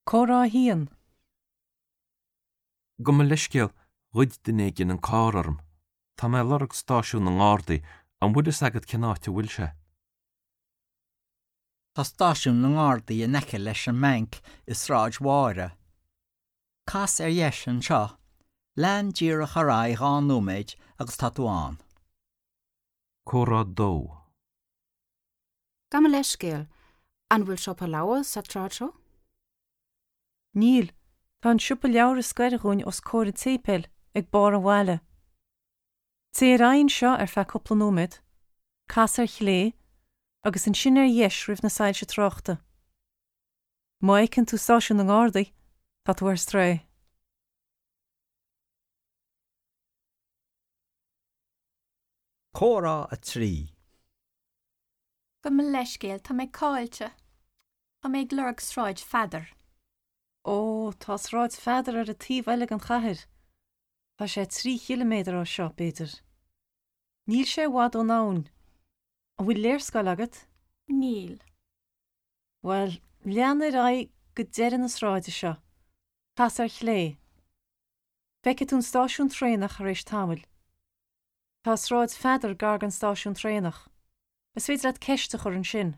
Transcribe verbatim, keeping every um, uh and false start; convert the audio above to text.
Comhrá a haon. Gabh mo leithscéal, ghoid duine éigin an carr orm. Tá mé ag lorg stáisiún na nGardaí, an bhfuil fhios agat cén áit a bhfuil sé? Tá stáisiún na nGardaí in aice leis an mbanc i Sráid Mháire. Cas ar dheis anseo, lean díreach ar aghaidh dhá nóiméad agus tá tú ann. Comhrá dó. Gabh mo leithscéal, an bhfuil siopa leabhar sa tsráid seo? Níl, tá an siopa leabhar is gaire dhúinn os comhair an tséipéil ag barr an bhaile. Téigh ar aghaidh anseo ar feadh cúpla nóiméad, cas ar chlé, agus ansin ar dheis roimh na soilse tráchta. Má fheiceann tú stáisiún na nGardaí, tá tú ar strae. Comhrá a trí. Gabh mo leithscéal, tá mé caillte. Tá mé ag lorg Sráid Pheadair. Ó, tá Sráid Pheadair ar an taobh eile den chathair. Tá sé trí chiliméadar ó seo, b'fhéidir. Níl sé i bhfad ón abhainn. An bhfuil léarscáil agat? Níl. Bhuel, lean ar aghaidh go deireadh na sráide seo. Cas ar chlé. Feicfidh tú an stáisiún traenach tar éis tamaill. Tá Sráid Pheadair gar don stáisiún traenach. Is féidir leat ceist a chur ansin.